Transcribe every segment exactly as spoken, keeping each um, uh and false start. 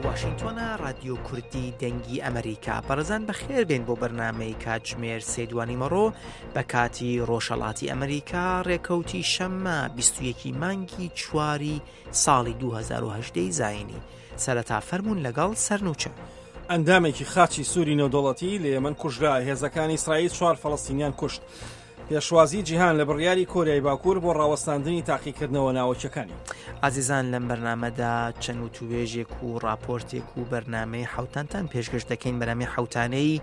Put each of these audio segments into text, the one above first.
واشنگتۆنە ڕادیۆ کوردی دەنگی ئەمریکا. بەڕێزان بەخێر بێن بۆ بەرنامەی کاتژمێر سێ دوانیمەڕۆ بە کاتی ڕۆژهەڵاتی ئەمریکا، ڕێکەوتی شەممە بیست و یەک مانگی چواری ساڵی دوو هەزار و هەژدە زایینی. سەرەتا فەرمونون لەگەڵ سەرنوچە. ئەندامێکی خاچی سووری نێودەوڵەتی لە یەمەن کوژرا، هێزەکانی ئیسرائیل چوار فەڵەستینیان کوشت. پێشوازی جیهان لە بڕیاری کۆریای باکوور بۆ ڕاوەستاندنی تاقیکردنەوە ناوەکیەکانی. ئازیزان لەم بەرنامەدا چەند وتوێژێک و راپۆرتێک و بەرنامەی حوتانتان پێشکەش دەکەین. بەرنامەی حوتانەی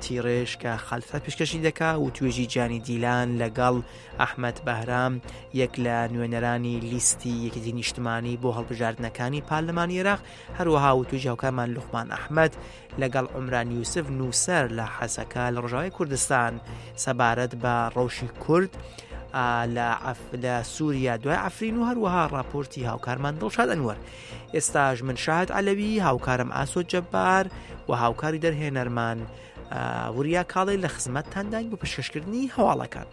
تیڕێژ کە خەلفە پێشکەشی دەکا و توێژی جانی دیلان لەگەڵ ئەحمەد بەهرام، یەک لە نوێنەرانی لیستی یەکێتی نیشتمانی بۆ هەڵبژاردنەکانی پارلەمانی عێراق، هەروەها وتوێژی هاوکارمان لوقمان ئەحمەد لەگەڵ عومران یوسف نووسەر لە حەسەکە لە ڕۆژاوای کوردستان سەبارەت بە ڕەوشی کورد لە سووریا دوای عەفرین و هەروەها راپۆرتی هاوکارمان دڵشاد ئەنوەر. ئێستاش من شاهد عەلەوی، هاوکارم ئاسۆ جەبار و هاوکاری دەرهێنەرمان وریا کاڵێ لە خزمەتتانداین بۆ پێشکەشکردنی هەواڵەکان.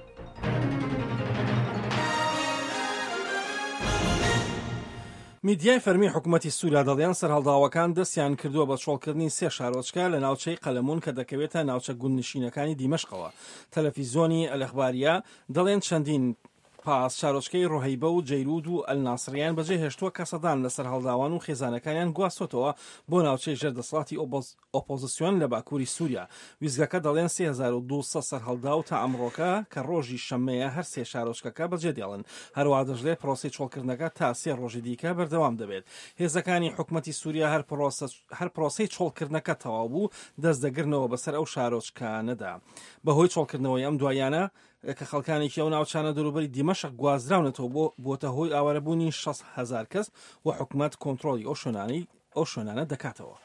میدیای فەرمی حکوومەتی سووریا دەڵێن سەرهەڵداوەکان دەستیان کردووە بە چۆڵکردنی سێ شارۆچکە لە ناوچەی قەلەمون کە دەکەوێتە ناوچە گوندنشینەکانی دیمەشقەوە. تەلەفیزیۆنی ئەلئەخباریە دەڵێن چەندین پاس شارۆچکەی ڕۆهیبە و جەیرود و ئەلناسریان بەجێهێشتووە کە سەدان لە سەرهەڵداوان و خێزانەکانیان گواستۆتەوە بۆ ناوچەی ژێر دەسەڵاتی ئۆپۆزیسیۆن لە باکووری سووریا. ویزگەکە دەڵێن سێ هەزار و دوو سەد سەرهەڵداو تا ئەمڕۆکە کە ڕۆژی شەممەیە هەر سێ شارۆچکەکە بەجێ دێڵن. هەروەها دەشڵێ پرۆسەی چۆڵکردنەکە تا سێ ڕۆژی دیکە بەردەوام دەبێت. هێزەکانی حکوومەتی سووریا هەر پرۆسەی چۆڵکردنەکە تەواو بوو دەست دەگرنەوە بەسەر ئەو شارۆچکانەدا. بەهۆی چۆڵکردنەوەی ئەم دوایانە کە خەڵکانێکی ئەو ناوچانە دەوروبەری دیمەشق گوازراونەتەوە بۆ بۆتە هۆی ئاوارەبوونی شەست هەزار کەس و حکوومەت کۆنترۆڵی ئەو شوێنانەی ئەو شوێنانە دەکاتەوە.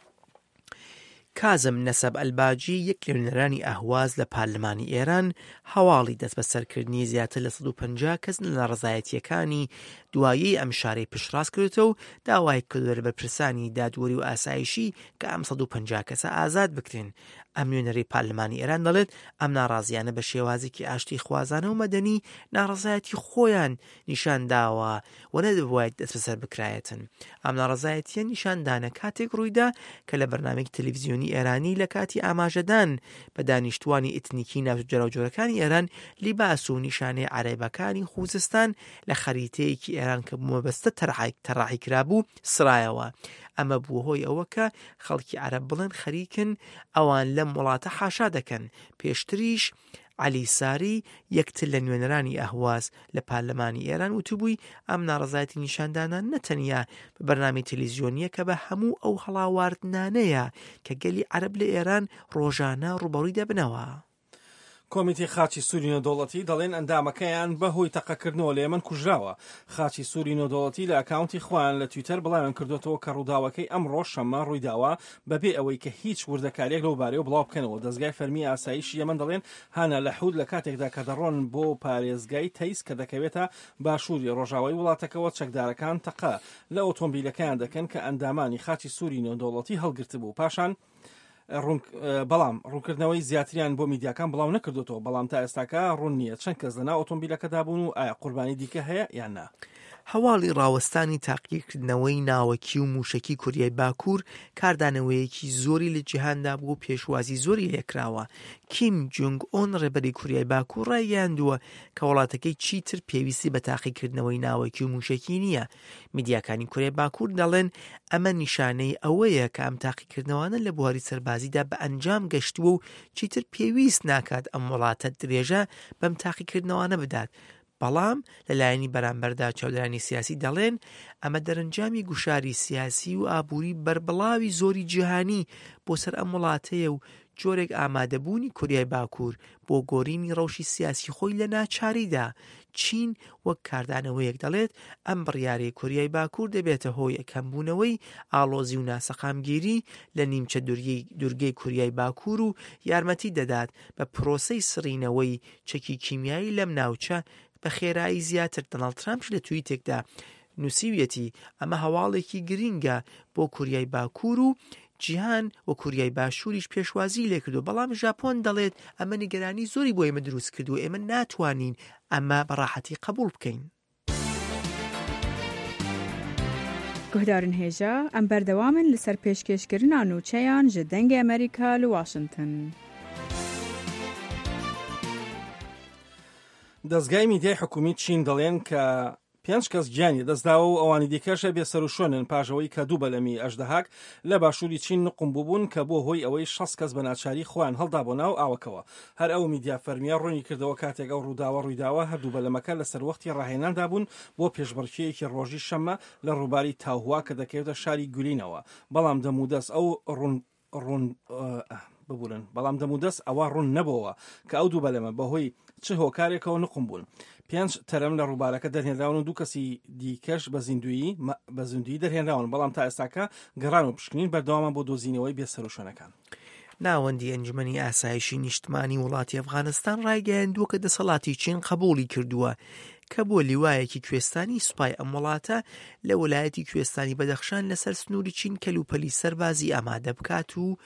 کازم نەسەب ئەلباجی یەک لە نوێنەرانی ئەهواز لە پارلەمانی ئێران هەواڵی دەستبەسەرکردنی زیاتر لە سەد و پەنجا کەس لە ناڕەزایەتیەکانی دوایی ئەم شارەی پشتڕاست کردێتەوە و داوای کردووە لە بەرپرسانی دادوەری و ئاسایشی کە ئەم سەد و پەنجا کەسە ئازاد بکرێن. ئەم نوێنەری پارلەمانی ئێران دەڵێت ئەم ناڕازیانە بە شێوازێکی ئاشتی خوازانە و مەدەنی ناڕەزایەتی خۆیان نیشان داوە و نەدەبوایە دەستبەسەر بکرایەتن. ئەم ناڕەزایەتیە نیشاندانە کاتێک ڕوویدا کە لە بەرنامەیەکی تەلەڤیزیۆنی ئێرانی لە کاتی ئاماژەدان بە دانیشتوانی ئیتنیکی ناوچە جۆراوجۆرەکانی ئێران لیباس و نیشانەی عەرەبەکانی خوزستان لە خەریتەیەکی ئێران کە مەبەستە تەراحی کرابوو سرایەوە. ئەمە بوو هۆی ئەوە کە خەڵکی عەرەب بڵێن خەریکن ئەوان لەم وڵاتە حاشا دەکەن. پێشتریش عەلی ساری یەکتر لە نوێنەرانی ئەهواز لە پارلەمانی ئێران وتبووی ئەم ناڕەزایەتی نیشاندانە نەتەنیا بە بەرنامەی تەلەڤیزیۆنیە کە بە هەموو ئەو هەڵاواردنانەیە کە گەلی عەرەب لە ئێران ڕۆژانە ڕووبەڕووی دەبنەوە. کۆمیتی خاچی سووری نێودەوڵەتی دەڵێن ئەندامەکەیان بەهۆی تەقەکردنەوە لە یەمەن کوژراوە. خاچی سووری نێودەوڵەتی لە ئەکاونتی خۆیان لە تویتەر بڵاویان کردوێتەوە کە ڕووداوەکەی ئەمڕۆ شەممە ڕوویداوە بەبێ ئەوەی کە هیچ وردەکارییەک لەو بارەیەوە بڵاو بکەنەوە. دەستگای فەرمی ئاسایشی یەمەن دەڵێن هانا لەحود لە کاتێکدا کە دەڕۆن بۆ پارێزگای تەیس کە دەکەوێتە باشووری ڕۆژاوای وڵاتەکەوە چەکدارەکان تەقە لە ئۆتۆمبیلەکەیان دەکەن کە ئەندامانی خاچی سووری نێودەوڵەتی هەڵگرتبوو. پاشان بەڵام ڕوونکردنەوەی زیاتریان بۆ میدیاکان بڵاو نەکردوتەوە، بەڵام تا ئێستاکە ڕوون نییە چەند کەس لەناو ئۆتۆمبیلەکەدا بوون و ئایا قوربانی دیکە هەیە یان نا. هەواڵی ڕاوەستانی تاقیکردنەوەی ناوەکی و موشەکی کوریای باکوور کاردانەوەیەکی زۆری لە جیهاندا بوو و پێشوازی زۆری لێکراوە. کیم جونگ ئۆن ڕێبەری کوریای باکوور ڕایگەیاندووە کە وڵاتەکەی چیتر پێویستی بە تاقیکردنەوەی ناوەکی و موشەکی نییە. میدیاکانی کوریای باکوور دەڵێن ئەمە نیشانەی ئەوەیە کە ئەم تاقیکردنەوانە لە بواری سەربازیدا بە ئەنجام گەشتووە و چیتر پێویست ناکات ئەم وڵاتە درێژە بەم تاقیکردنەوانە بدات. بەڵام لەلایەنی بەرامبەردا چاودێرانی سیاسی دەڵێن ئەمە دەرەنجامی گوشاری سیاسی و ئابووری بەربڵاوی زۆری جیهانی بۆ سەر ئەم وڵاتەیە و جۆرێک ئامادەبوونی کوریای باکوور بۆ گۆرینی ڕەوشی سیاسی خۆی لە ناچاریدا. چین وەک کاردانەوەیەک دەڵێت ئەم بڕیارەی کوریای باکوور دەبێتە هۆی کەمبوونەوەی ئاڵۆزی و ناسەقامگیری لە نیمچە دوورگەی کوریای باکوور و یارمەتی دەدات بە پرۆسەی سڕینەوەی چەکی کیمیایی لەم ناوچە بە خێرایی زیاتر. دۆناڵد ترامپش لە تویتێکدا نووسیویەتی ئەمە هەواڵێکی گرینگە بۆ کوریای باکوور و جیهان و کوریای باشووریش پێشوازی لێکردو، بەڵام ژاپۆن دەڵێت ئەمە نیگەرانی زۆری بۆ ئێمە دروست کردو ئێمە ناتوانین ئەمە بەڕاحەتی قبوڵ بکەین. Guhdarên hêja em berdewam in li ser pêşkêşkirina nûçeyan ji Dengê Amerîka li Washington. دەزگای میدیای حکومی چین دەڵێن کە پێنج کەس گیانی دەستداوە و ئەوانی دیکەشە بێسەروشوێنن پاژەوەی کە دوو بەلەمی ئەژدەهاک لە باشووری چین نقم بووبوون کە بۆ هۆی ئەوەی شەست کەس بە ناچاری خۆیان هەڵدا بۆ ناو ئاوەکەوە. هەر ئەو میدیا فەرمیە ڕوونی کردەوە کاتێک ئەو ڕووداوە ڕوویداوە هەردوو بەلەمەکە لەسەر وەختی ڕاهێناندا بوون بۆ پێشبڕکێیەکی ڕۆژی شەممە لە ڕووباری تاوهوا کە دەکەوێتە شاری گولینەوە، بەڵام دەمودەست ئەو ڕوون ڕوون ببورن بەڵام دەمودەست ئەوە ڕوون نەبەوە کە ئەو دوو بەلەمە بەهۆی چه هۆکارێکەوە نقم بوون. پێنج تەرم لە ڕووبارەکە دەرهێنراون و دوو کەسی دیکەش بە زیندویی بە زیندویی دەرهێنراون، بەڵام تا ئێستاکە گەڕان و پشکنین بەردەوامە بۆ دۆزینەوەی بێسەروشوێنەکان. ناوەندی ئەنجومەنی ئاسایشی نیشتمانی وڵاتی ئەفغانستان ڕایگەیاندووە کە دەسەڵاتی چین قبوڵی کردووە کە بۆ لیوایەکی کوێستانی سوپای ئەم وڵاتە لە وەلایەتی کوێستانی بەدەخشان لەسەر سنووری چین کەلوپەلی سەربازی ئامادە بکات و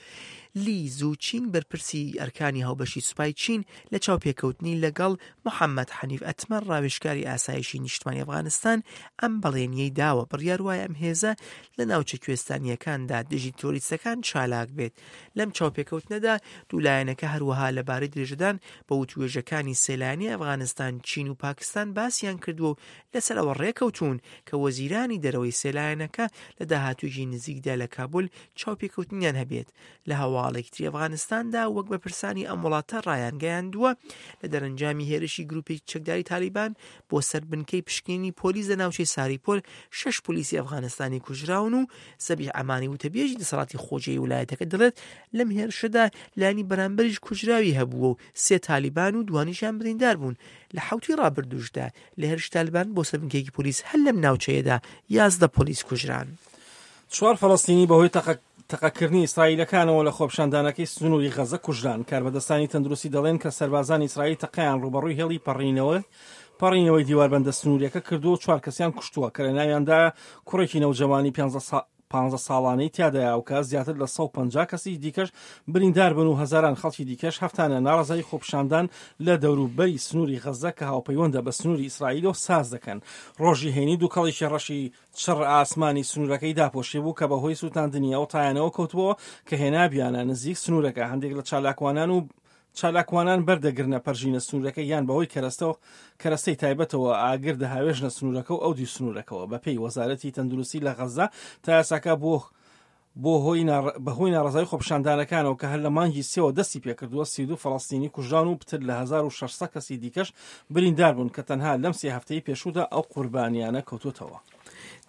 لی زوو چین بەرپرسی ئەرکانی هاوبەشی سوپای چین لە چاوپێکەوتنی لەگەڵ محەممەد حەنیف ئەتمەر ڕاوێژکاری ئاسایشی نیشتمانی ئەفغانستان ئەم بەڵێنیەی داوە. بڕیار وایە ئەم هێزە لە ناوچە کوێستانیەکاندا دژی تیرۆریستەکان چالاک بێت. لەم چاوپێکەوتنەدا دوو لایەنەکە هەروەها لەبارەی درێژەدان بە وتوێژەکانی سێلایەنی ئەفغانستان، چین و پاکستان باسیان کردووە و لەسەر ئەوە ڕێکەوتون کە وەزیرانی دەرەوەی سێلایەنەکە لە داهاتوویەکی نزیکدا لە کابول چاوپێکەوتنیان هەبێت. لە هەواڵێکی ئەفغانستاندا وەک بەرپرسانی ئەم وڵاتە ڕایانگەیاندووە لە دەرەنجامی هێرشی گروپێکی چەکداری تالیبان بۆ سەر بنکەی پشکنینی پۆلیس لە ناوچەی ساریپۆل شەش پۆلیسی ئەفغانستانی کوژراون و زەبیح ئەمانی وتەبێژی دەسەڵاتی خۆجێی ولایەتەکە دەڵێت لەم هێرشەدا لایەنی بەرامبەریش کوژراوی هەبووە و سێ تالیبان و دوانیشیان بریندار بوون. لە حەوتی ڕابردووشدا لە هێرشی تالیبان بۆ سەر بنکەیەکی پۆلیس هەر لەم ناوچەیەدا یازدە پۆلیس کوژران. چوار فەلەستینی بەهۆی تەقەکردنی ئیسرائیلەکانەوە لە خۆپیشاندانەکەی سنووری غەزە کوژران. کاربەدەستانی تەندروستی دەڵێن کە سەربازانی ئیسرائیل تەقەیان ڕووبەڕووی هێڵی پەڕینەوە پەڕینەوەی دیواربەندە سنووریەکە کردووە و چوار کەسیان کوشتووە کە لە ناویاندا کوڕێکی نەوجەوانی پانزە ساڵانەی تیادایە و کە زیاتر لە سەد و پەنجا کەسی دیکەش بریندار بن و هەزاران خەڵکی دیکەش هەفتانە ناڕەزایی خۆپیشاندان لە دەوروبەری سنووری غەزە کە هاوپەیوەندە بە سنووری ئیسرائیلەوە ساز دەکەن. ڕۆژی هەینی دووکەڵێکی ڕەشی چڕ ئاسمانی سنوورەکەی داپۆشی بوو کە بەهۆی سووتاندنی ئەو تایانەوە کەوتبووە کە هێنابیانە نزیک سنوورەکە. هەندێک لە چالاکوانان و چالاکوانان بەردەگرنە پەرژینە سنوورەکە یان بەهۆی کەرەستەوە کەرەستەی تایبەتەوە ئاگر دەهاوێژنە سنوورەکە و ئەو دوو سنوورەکەوە. بەپێی وەزارەتی تەندروستی لە غەزە تا یاساکە بۆ بۆ بەهۆی ناڕەزایی خۆپیشاندانەکانەوە کە هەر لە مانگی سێوە دەستی پێکردووە سی و دوو فەڵەستینی کوژران و پتر لە هەزار و شەش سەد کەسی دیکەش بریندار بوون کە تەنها لەم سێ هەفتەی پێشوودا ئەو قوربانیانە کەوتوتەوە.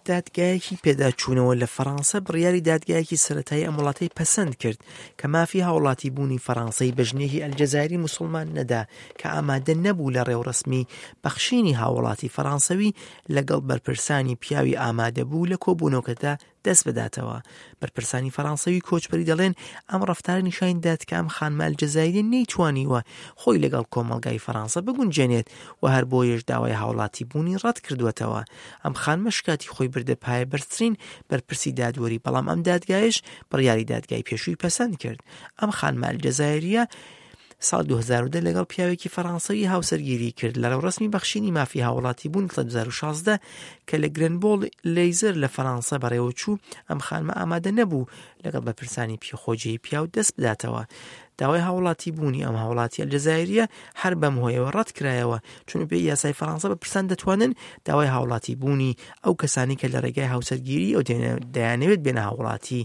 دادگایەکی پێداچوونەوە لە فەرەنسا بڕیاری دادگایەکی سەرەتایی ئەم وڵاتەی پەسەند کرد کە مافی هاوڵاتی بوونی فەرەنسای بە ژنێکی ئەلجەزایری موسڵمان نەدا کە ئامادە نەبوو لە ڕێوڕەسمی بەخشینی هاوڵاتی فەرەنسەوی لەگەڵ بەرپرسانی پیاوی ئامادە بوو لە کۆبوونەوەکەدا دەست بداتەوە. بەرپرسانی فەرەنسەوی کۆچبەری دەڵێن ئەم ڕەفتارە نیشان دات کە ئەم خانمە ئەلجەزایریە نەیتوانیوە خۆی لەگەڵ کۆمەڵگای فەرەنسا بگونجێنێت و هەر بۆیەش داوای هاوڵاتی بوونی ڕەت کردووەتەوە. ئەم خانمە شکاتی خۆی بردە پایە بەرزترین بەرپرسی دادوەری، بەڵام ئەم دادگایش بڕیاری دادگای پێشووی پەسەند کرد. ئەم خانمە ئەلجەزایریە ساڵ دوو هەزار و دە لەگەڵ پیاوێکی فەرەنسەوی هاوسەرگیری کرد لە ڕێوڕەسمی بەخشینی مافی هاوڵاتی بوون لە دوو هەزار و شازدە کە لە گرنبۆڵ لەیزەر لە فەرەنسا بەڕێوەچوو. ئەم خانمە ئامادە نەبوو لەگەڵ بەرپرسانی خۆجێی پیاو دەست بداتەوە. داوای هاوڵاتی بوونی ئەم هاوڵاتی ئەلجەزایریە هەر بەم هۆیەوە ڕەت کرایەوە، چون بەپێی یاسای فەرەنسا بەرپرسان دەتوانن داوای هاوڵاتی بوونی ئەو کەسانی کە لە ڕێگای هاوسەرگیری ئەو دەیانەوێت بێنە هاوڵاتی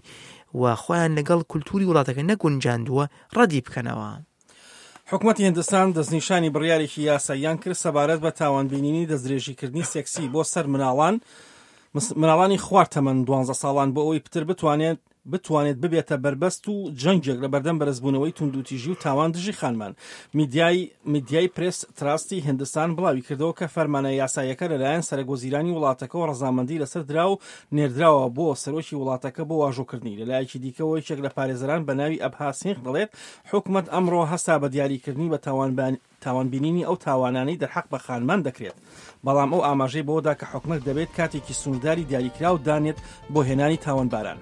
و خۆیان لەگەڵ کولتوری وڵاتەکە نەگونجاندووە ڕەدی بکەنەوە. حکومەتی هندستان دەستنیشانی بڕیارێکی یاساییان کرد سەبارەت بە تاوانبینینی دەستدرێژیکردنی سێکسی بۆ سەر مناڵان مناڵانی خوار تەمەن دوانزە ساڵان بۆ ئەوەی پتر بتوانێت بتوانێت ببێتە بەربەست و جەنگێک لە بەردەم بەرزبوونەوەی توندوتیژی و تاوان دژی خانمان. میدیای میدیای پرێس تراستی هندستان بڵاوی کردەوە کە فەرمانە یاساییەکە لەلایەن سەرۆکوەزیرانی وڵاتەکەەوە ڕەزامەندی لەسەر درا و نێردراوە بۆ سەرۆکی وڵاتەکە بۆ واژۆکردنی. لەلایەکی دیکەوە یەکێک لە پارێزەران بە ناوی ئەبها سینغ دەڵێت حکومەت ئەمڕۆ هەستا بە دیاریکردنی بە تاوانبینینی ئەو تاوانانەی دەرحەق بە خانمان دەکرێت، بەڵام ئەو ئاماژەی بەوەدا کە حکومەت دەبێت کاتێکی سنوورداری دیاریکراو دانێت بۆ هێنانی تاوانباران.